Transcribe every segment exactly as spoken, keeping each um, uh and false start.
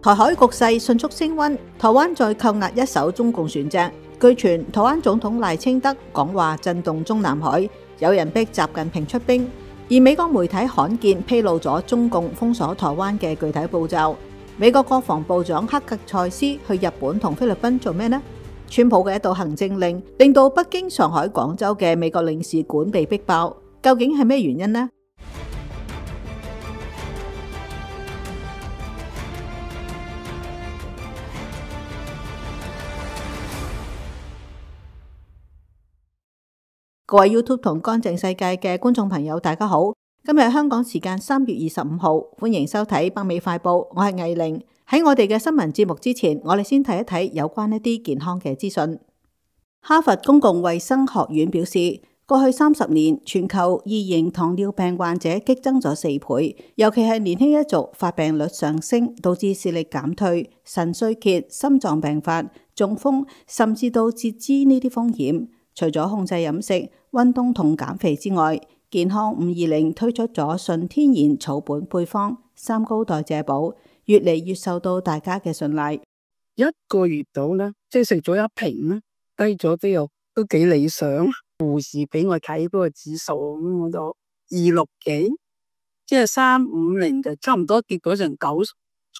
台海局勢迅速升溫，台灣再扣押一艘中共船隻。據傳，台灣總統賴清德講話震動中南海，有人逼習近平出兵。而美國媒體罕見披露咗中共封鎖台灣嘅具體步驟。美國國防部長克格塞斯去日本同菲律賓做咩呢？川普嘅一道行政令令到北京、上海、廣州嘅美國領事館被逼爆，究竟係咩原因呢？各位 YouTube 同乾淨世界嘅觀眾朋友，大家好！今日香港時間三月二十五號，歡迎收睇北美快報，我係藝玲。喺我哋嘅新聞節目之前，我哋先睇一睇有關一啲健康嘅資訊。哈佛公共衛生學院表示，過去三十年全球二型糖尿病患者激增咗四倍，尤其係年輕一族發病率上升，導致視力減退、腎衰竭、心臟病發、中風，甚至到截肢呢啲風險。除咗控制飲食、運動同減肥之外，健康五二零推出咗純天然草本配方三高代謝寶，越嚟越受到大家嘅信賴。一個月到咧，即係食咗一瓶咧，低咗啲又都幾理想。護士俾我睇嗰個指數，咁我就二六幾，即係三五零就差唔多跌咗成九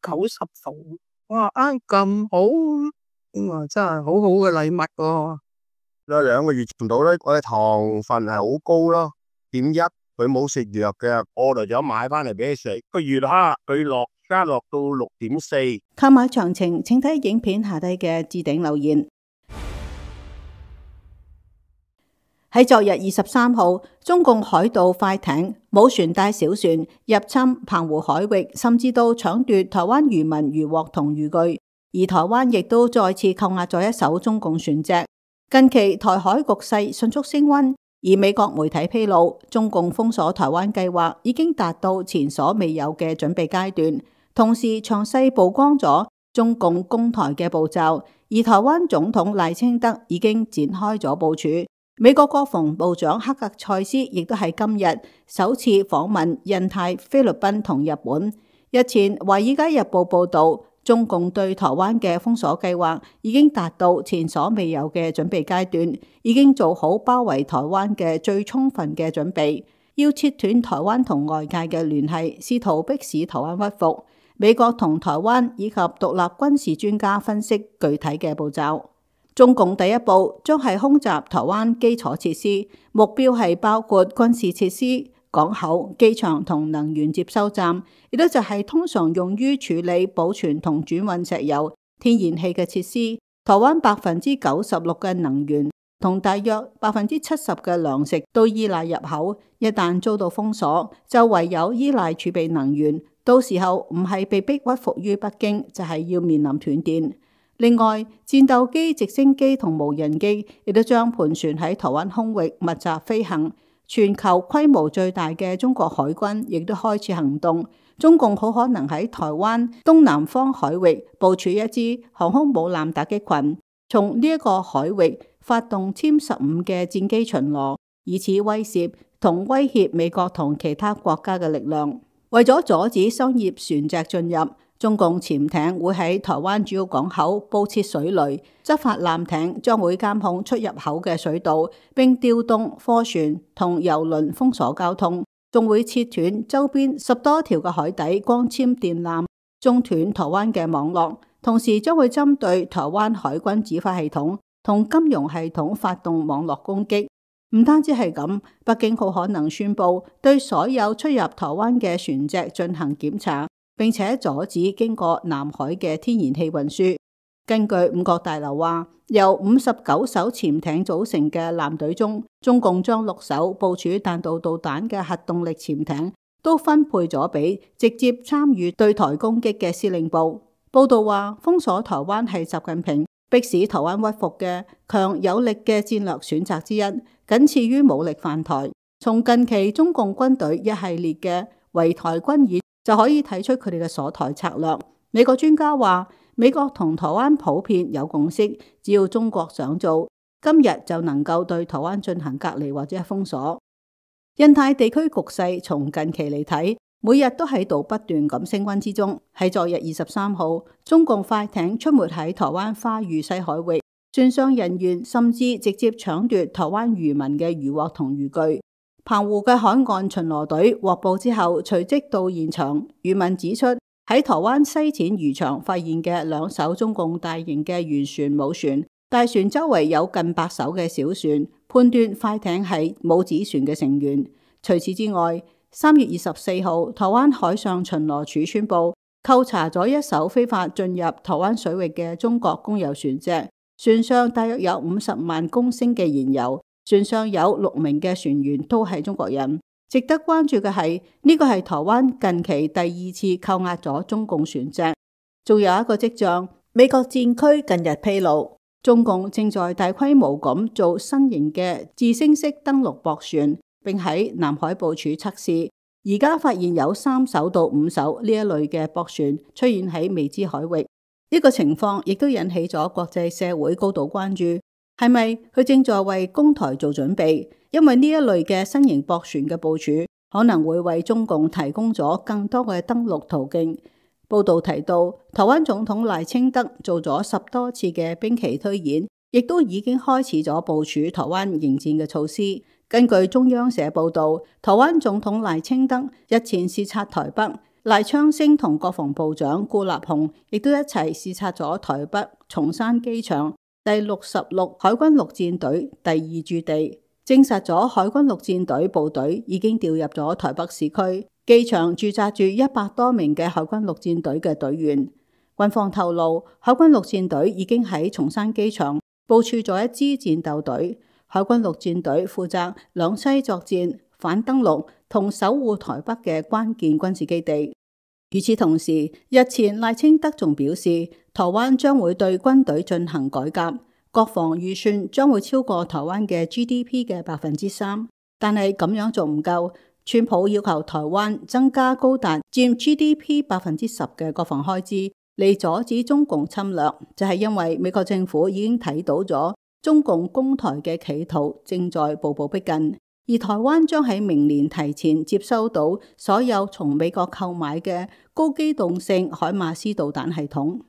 九十度。哇，啱咁好，咁啊真係好好嘅禮物喎。有兩個月唔到咧，我嘅糖分係好高咯，點一佢冇食藥嘅，我就咗買翻嚟俾佢食。個月哈佢落加落到六點四。購買詳情請睇影片下低嘅置頂留言。喺昨日二十三號，中共海盜快艇、冇船帶小船入侵澎湖海域，甚至到搶奪台灣漁民漁獲同漁具，而台灣亦都再次扣押咗一艘中共船隻。近期台海局勢迅速升溫，而美國媒體披露，中共封鎖台灣計劃已經達到前所未有嘅準備階段，同時詳細曝光咗中共攻台嘅步驟，而台灣總統賴清德已經展開咗部署。美國國防部長克格塞斯亦都喺今日首次訪問印太、菲律賓同日本。日前《華爾街日報》報道，中共對台灣嘅封鎖計劃已經達到前所未有嘅準備階段，已經做好包圍台灣嘅最充分嘅準備，要切斷台灣同外界嘅聯繫，試圖迫使台灣屈服。美國同台灣以及獨立軍事專家分析具體嘅步驟。中共第一步將係空襲台灣基礎設施，目標係包括軍事設施、港口、機場同能源接收站，亦都就係通常用於處理、保存同轉運石油、天然氣嘅設施。台灣百分之九十六嘅能源同大約百分之七十嘅糧食都依賴入口，一旦遭到封鎖，就唯有依賴儲備能源。到時候唔係被逼屈服於北京，就係要面臨斷電。另外，戰鬥機、直升機同無人機亦都將盤旋喺台灣空域密集飛行。全球規模最大嘅中國海軍亦都開始行動，中共好可能喺台灣東南方海域部署一支航空母艦打擊群，從呢一個海域發動殲十五嘅戰機巡邏，以此威懾同威脅美國同其他國家嘅力量。為咗阻止商業船隻進入，中共潛艇會喺台灣主要港口布設水雷，執法艦艇將會監控出入口嘅水道，並調動貨船同郵輪封鎖交通，仲會切斷周邊十多條嘅海底光纖電纜，中斷台灣嘅網絡，同時將會針對台灣海軍指揮系統同金融系統發動網絡攻擊。唔單止係咁，北京好可能宣布對所有出入台灣嘅船隻進行檢查，並且阻止經過南海嘅天然氣運輸。根據五角大樓話，由五十九艘潛艇組成嘅艦隊中，中共將六艘部署彈道導彈嘅核動力潛艇都分配咗俾直接參與對台攻擊嘅司令部。報道話，封鎖台灣係習近平迫使台灣屈服嘅強有力嘅戰略選擇之一，僅次於武力犯台。從近期中共軍隊一系列嘅圍台軍演就可以睇出佢哋嘅鎖台策略。美國專家話，美國同台灣普遍有共識，只要中國想做，今日就能夠對台灣進行隔離或者封鎖。印太地區局勢從近期嚟睇，每日都喺度不斷咁升溫之中。喺昨日二十三號，中共快艇出沒喺台灣花嶼西海域，船上人員甚至直接搶奪台灣漁民嘅漁獲同漁具。澎湖嘅海岸巡邏隊獲報之後，隨即到現場。漁民指出，喺台灣西淺漁場發現嘅兩艘中共大型嘅漁船母船，大船周圍有近百艘嘅小船，判斷快艇係母子船嘅成員。除此之外，三月二十四號，台灣海上巡邏署宣布扣查咗一艘非法進入台灣水域嘅中國公有船隻，船上大約有五十萬公升嘅燃油，船上有六名嘅船員都係中國人。值得關注嘅係，呢個係台灣近期第二次扣押咗中共船隻。仲有一個跡象，美國戰區近日披露，中共正在大規模咁做新型嘅自升式登陸駁船，並喺南海部署測試。而家發現有三艘到五艘呢一類嘅駁船出現喺未知海域，呢個情況亦都引起咗國際社會高度關注。係咪佢正在為攻台做準備？因為呢一類嘅新型駁船嘅部署可能會為中共提供咗更多嘅登陸途徑。報道提到，台灣總統賴清德做咗十多次嘅兵棋推演，亦都已經開始咗部署台灣迎戰嘅措施。根據中央社報道，台灣總統賴清德日前視察台北，賴昌星同國防部長顧立雄亦都一齊視察咗台北松山機場第六十六海軍陸戰隊第二駐地，證實咗海軍陸戰隊部隊已經調入咗台北市區，機場駐紮住一百多名嘅海軍陸戰隊嘅隊員。軍方透露，海軍陸戰隊已經喺松山機場部署咗一支戰鬥隊，海軍陸戰隊負責兩棲作戰、反登陸同守護台北嘅關鍵軍事基地。與此同時，日前賴清德仲表示，台灣將會對軍隊進行改革，國防預算將會超過台灣嘅 G D P 嘅百分之三。但係咁樣仲唔夠，川普要求台灣增加高達佔 G D P 百分之十嘅國防開支，嚟阻止中共侵略，就係因為美國政府已經睇到咗中共攻台嘅企圖正在步步逼近。而台灣將喺明年提前接收到所有從美國購買嘅高機動性海馬斯導彈系統。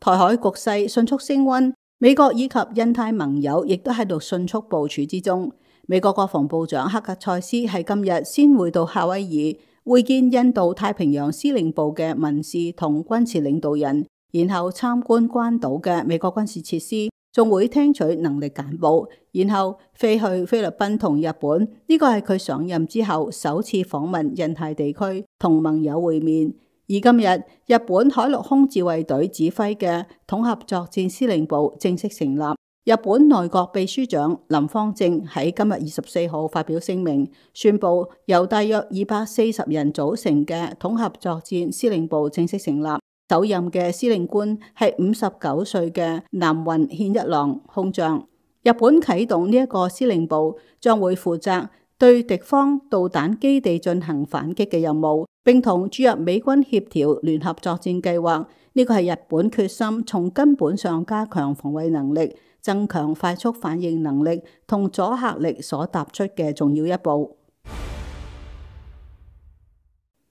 台海局勢迅速升溫，美國以及印太盟友亦都喺度迅速部署之中。美國國防部長克格塞斯喺今日先會到夏威夷會見印度太平洋司令部嘅民事同軍事領導人，然後參觀關島嘅美國軍事設施，仲會聽取能力簡報，然後飛去菲律賓同日本。呢個係佢上任之後首次訪問印太地區同盟友會面。而今日日本海陸空自衛隊指揮嘅統合作戰司令部正式成立。日本內閣秘書長林芳正喺今日二十四號發表聲明，宣布由大約二百四十人組成嘅統合作戰司令部正式成立。首任嘅司令官係五十九歲嘅南雲憲一郎空將。日本啟動呢一個司令部，將會負責對敵方導彈基地進行反擊嘅任務，並同駐日美軍協調聯合作戰計劃。呢個係日本決心從根本上加強防衛能力、增強快速反應能力同阻嚇力所踏出嘅重要一步。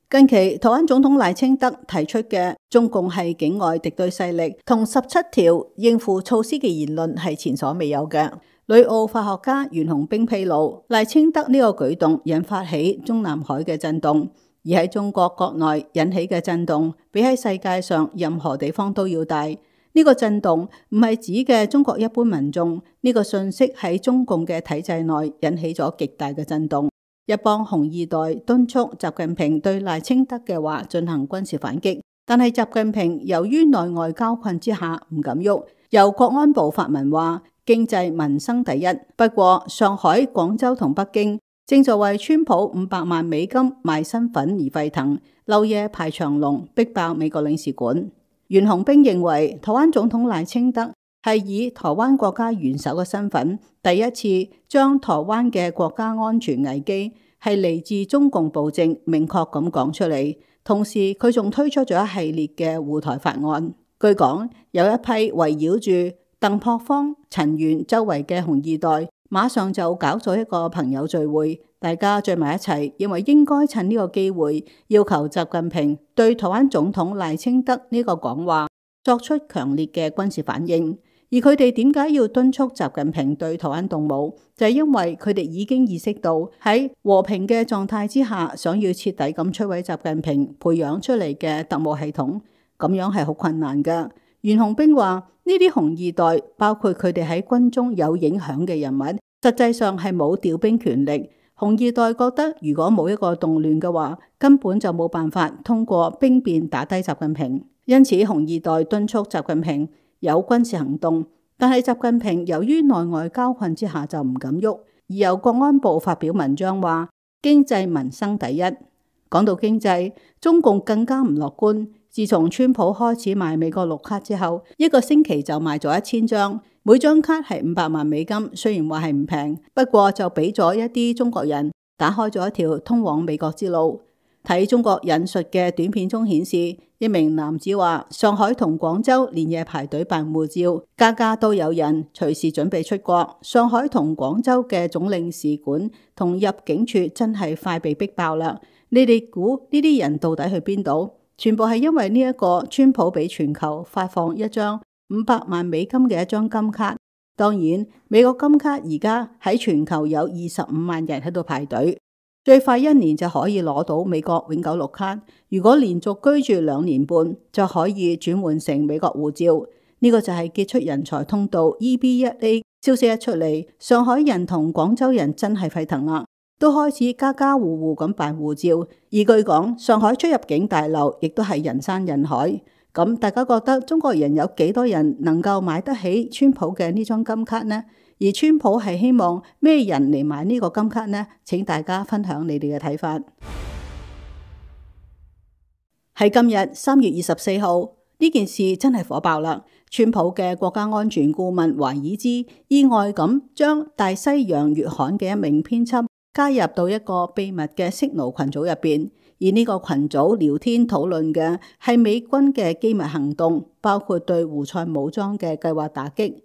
近期台灣總統賴清德提出嘅中共係境外敵對勢力同十七條應付措施嘅言論係前所未有嘅。旅澳法學家袁弘冰披露，賴清德呢個舉動引發起中南海嘅震動，而喺中國國內引起嘅震動比喺世界上任何地方都要大。呢個震動唔係指嘅中國一般民眾，呢個信息喺中共嘅體制內引起咗極大嘅震動。一幫紅二代敦促習近平對賴清德嘅話進行軍事反擊，但係習近平由於內外交困之下唔敢喐。由國安部發文話經濟民生第一。不過上海、廣州同北京正在為川普五百萬美金賣身份而沸騰，漏夜排長龍逼爆美國領事館。袁弘冰認為台灣總統賴清德係以台灣國家元首嘅身份，第一次將台灣嘅國家安全危機係嚟自中共暴政明確咁講出嚟。同時佢仲推出咗一系列嘅護台法案。據講有一批圍繞住鄧樸方、陳元周圍嘅紅二代，馬上就搞咗一個朋友聚會，大家聚埋一齊，認為應該趁呢個機會要求習近平對台灣總統賴清德呢個講話作出強烈嘅軍事反應。而佢哋點解要敦促習近平對台灣動武？就係因為佢哋已經意識到喺和平嘅狀態之下，想要徹底咁摧毀習近平培養出嚟嘅特務系統，咁樣係好困難㗎。袁紅冰話：呢啲紅二代，包括佢哋喺軍中有影響嘅人物，實際上係冇調兵權力。紅二代覺得，如果冇一個動亂嘅話，根本就冇辦法通過兵變打低習近平。因此，紅二代敦促習近平有軍事行動，但係習近平由於內外交困之下就唔敢喐，而由國安部發表文章話經濟民生第一。講到經濟，中共更加唔樂觀。自從川普開始賣美國綠卡之後，一個星期就賣咗一千張，每張卡係五百萬美金。雖然話係唔平，不過就俾咗一啲中國人打開咗一條通往美國之路。睇中國引述嘅短片中顯示，一名男子話：上海同廣州連夜排隊辦護照，家家都有人，隨時準備出國。上海同廣州嘅總領事館同入境處真係快被逼爆啦！你哋估呢啲人到底去邊度？全部係因為呢一個川普俾全球發放一張五百萬美金嘅一張金卡。當然，美國金卡而家喺全球有二十五萬人喺度排隊。最快一年就可以攞到美國永久綠卡，如果連續居住兩年半就可以轉換成美國護照。呢、這個就係傑出人才通道 E B 一 A 消息一出嚟，上海人同廣州人真係沸騰啦，都開始家家戶戶咁辦護照。而據講，上海出入境大樓亦都係人山人海。咁大家覺得中國人有幾多人能夠買得起川普嘅呢張金卡呢？而川普係希望咩人嚟買呢個金卡呢？請大家分享你哋嘅睇法。喺今日三月二十四號，呢件事真係火爆啦！川普嘅國家安全顧問華爾茲意外咁將大西洋月刊嘅一名編輯加入到一個秘密嘅 Signal 群組入邊，而呢個群組聊天討論嘅係美軍嘅機密行動，包括對胡塞武裝嘅計劃打擊。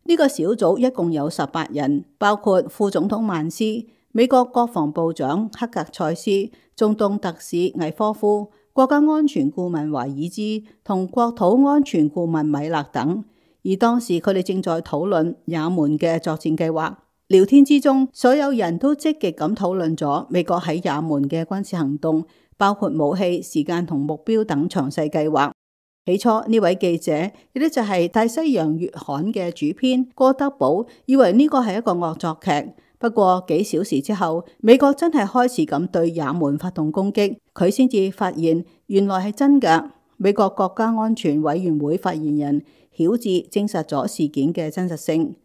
呢個小組一共有十八人，包括副總統曼斯、美國國防部長克格塞斯、中東特使魏科夫、國家安全顧問華爾茲同國土安全顧問米勒等。而當時佢哋正在討論也門嘅作戰計劃。聊天之中，所有人都積極咁討論咗美國喺也門嘅軍事行動，包括武器、時間同目標等詳細計劃。起初呢位記者，亦都就係大西洋月刊嘅主編哥德堡，以為呢個係一個惡作劇。不過幾小時之後，美國真係開始咁對也門發動攻擊，佢先至發現原來係真㗎。美國國家安全委員會發言人曉智證實咗事件嘅真實性。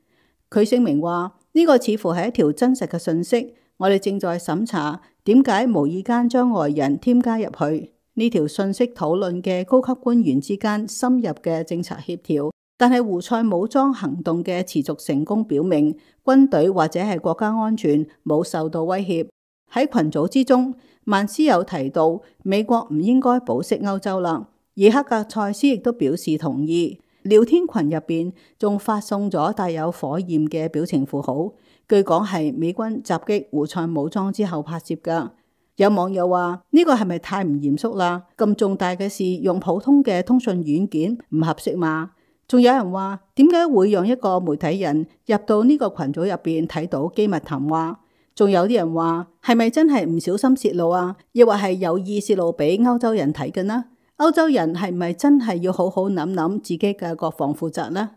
佢聲明話：呢個似乎係一條真實嘅信息，我哋正在審查點解無意間將外人添加入去。呢條信息討論嘅高級官員之間深入嘅政策協調，但係胡塞武裝行動嘅持續成功表明，軍隊或者係國家安全冇受到威脅。喺群組之中，曼斯有提到美國唔應該保釋歐洲啦，而克格塞斯亦都表示同意。聊天群入邊仲發送咗帶有火焰嘅表情符號，據講係美軍襲擊胡塞武裝之後拍攝噶。有網友話呢個係咪太唔嚴肅啦？咁重大嘅事用普通嘅通訊軟件唔合適嘛？仲有人話點解會讓一個媒體人入到呢個群組入邊睇到機密談話？仲有啲人話係咪真係唔小心泄露啊？亦或係有意泄露俾歐洲人睇嘅呢？歐洲人係咪真係要好好諗諗自己嘅國防負責呢？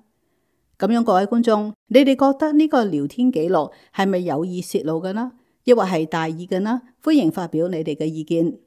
咁樣各位觀眾，你哋覺得呢個聊天記錄係咪有意泄露嘅呢？亦或係大意嘅呢？歡迎發表你哋嘅意見。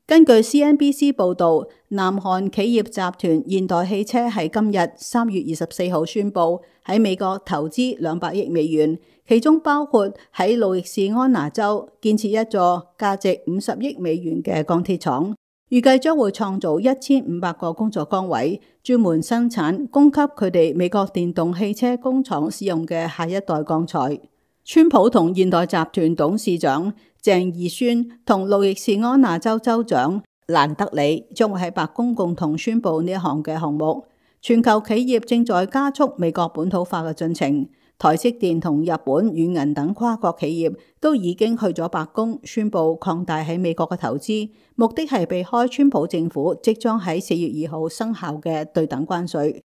根據 C N B C 報導，南韓企業集團現代汽車喺今日三月二十四號宣布喺美國投資兩百億美元，其中包括喺路易士安那州建設一座價值五十億美元嘅鋼鐵廠，預計將會創造一千五百個工作崗位，專門生產供給佢哋美國電動汽車工廠使用嘅下一代鋼材。川普同現代集團董事長鄭義宣同路易士安那州州長蘭德里將會喺白宮共同宣布呢一項嘅項目。全球企業正在加速美國本土化嘅進程，台積電同日本軟銀等跨國企業都已經去咗白宮宣布擴大喺美國嘅投資，目的係避開川普政府即將喺四月二號生效嘅對等關稅。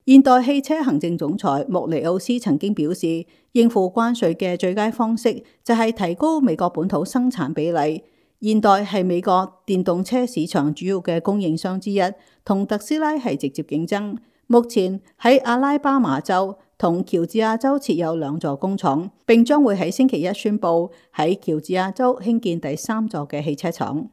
現代汽車行政總裁穆尼奧斯曾經表示，應付關稅嘅最佳方式就係提高美國本土生產比例。現代係美國電動車市場主要嘅供應商之一，同特斯拉係直接競爭。目前喺阿拉巴馬州同喬治亞州設有兩座工廠，並將會喺星期一宣布喺喬治亞州興建第三座嘅汽車廠。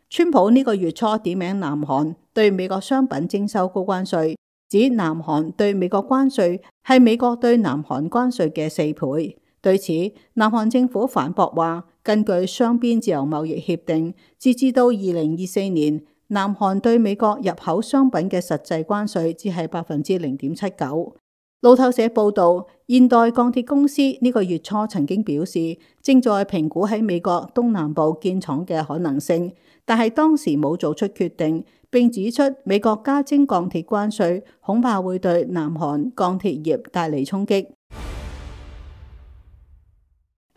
川普呢個月初點名南韓對美國商品徵收高關稅，指南韓對美國關稅係美國對南韓關稅嘅四倍。對此，南韓政府反駁話，根據雙邊自由貿易協定，截至到二零二四年，南韓對美國入口商品嘅實際關稅只係百分之零點七九。路透社報道，現代鋼鐵公司呢個月初曾經表示，正在評估喺美國東南部建廠嘅可能性，但係當時冇做出決定，並指出美國加徵鋼鐵關稅恐怕會對南韓鋼鐵業帶嚟衝擊。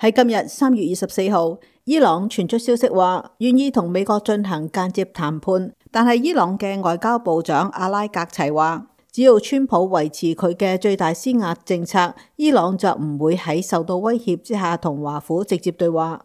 喺今日三月二十四號，伊朗傳出消息話願意同美國進行間接談判，但係伊朗嘅外交部長阿拉格齊話，只要川普維持佢嘅最大施壓政策，伊朗就唔會喺受到威脅之下同華府直接對話。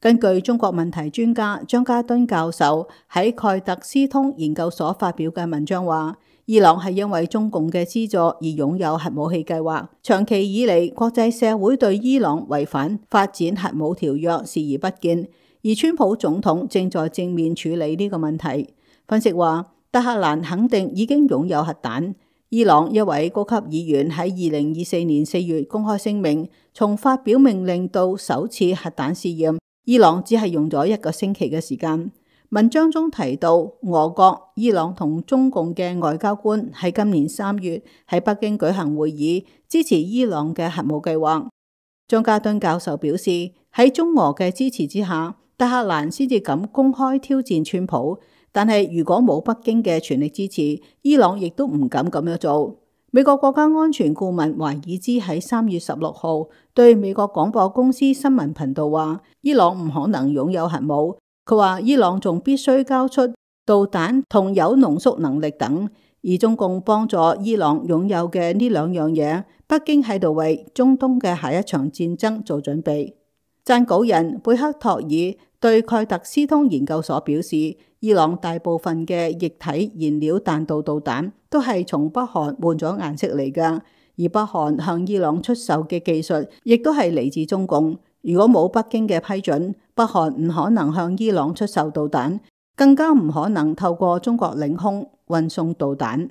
根據中國問題專家張家敦教授喺蓋特斯通研究所發表嘅文章話，伊朗係因為中共嘅資助而擁有核武器計劃，長期以嚟國際社會對伊朗違反發展核武條約視而不見，而川普總統正在正面處理呢個問題。分析話，德黑蘭肯定已經擁有核彈。伊朗一位高級議員喺二零二四年四月公開聲明，從發表命令到首次核彈試驗，伊朗只係用咗一個星期嘅時間。文章中提到，俄國、伊朗同中共嘅外交官喺今年三月喺北京舉行會議，支持伊朗嘅核武計劃。張家敦教授表示，喺中俄嘅支持之下，德黑蘭先至敢公開挑戰川普。但係如果冇北京嘅全力支持，伊朗亦都唔敢咁樣做。美國國家安全顧問懷爾茲喺三月十六號對美國廣播公司新聞頻道話，伊朗唔可能擁有核武。佢話伊朗仲必須交出導彈同鈾濃縮能力等，而中共幫助伊朗擁有嘅呢兩樣嘢，北京喺度為中東嘅下一場戰爭做準備。撰稿人貝克托爾對蓋特斯通研究所表示，伊朗大部分嘅液體燃料彈道導彈都係從北韓換咗顏色嚟㗎，而北韓向伊朗出售嘅技術亦都係嚟自中共。如果冇北京嘅批准，北韓唔可能向伊朗出售導彈，更加唔可能透過中國領空運送導彈。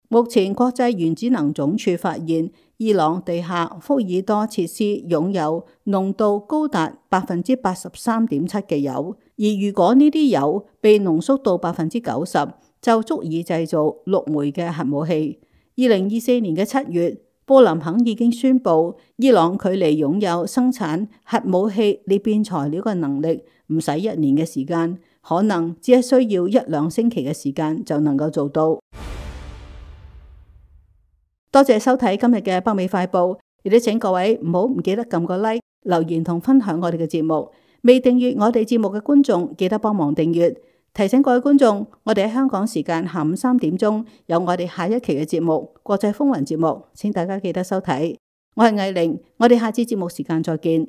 目前國際原子能總署發現，伊朗地下福爾多設施擁有濃度高達百分之八十三點七嘅鈾，而如果呢啲鈾被濃縮到百分之九十，就足以製造六枚嘅核武器。二零二四年嘅七月，布林肯已經宣布，伊朗距離擁有生產核武器裂變材料嘅能力唔使一年嘅時間，可能只係需要一兩星期嘅時間就能夠做到。多謝收睇今日嘅北美快報，亦都請各位唔好唔記得撳個 like、留言同分享我哋嘅節目。未訂閱我哋節目嘅觀眾，記得幫忙訂閱。提醒各位觀眾，我哋喺香港時間下午三點鐘有我哋下一期嘅節目《國際風雲》節目，請大家記得收睇。我係藝玲，我哋下次節目時間再見。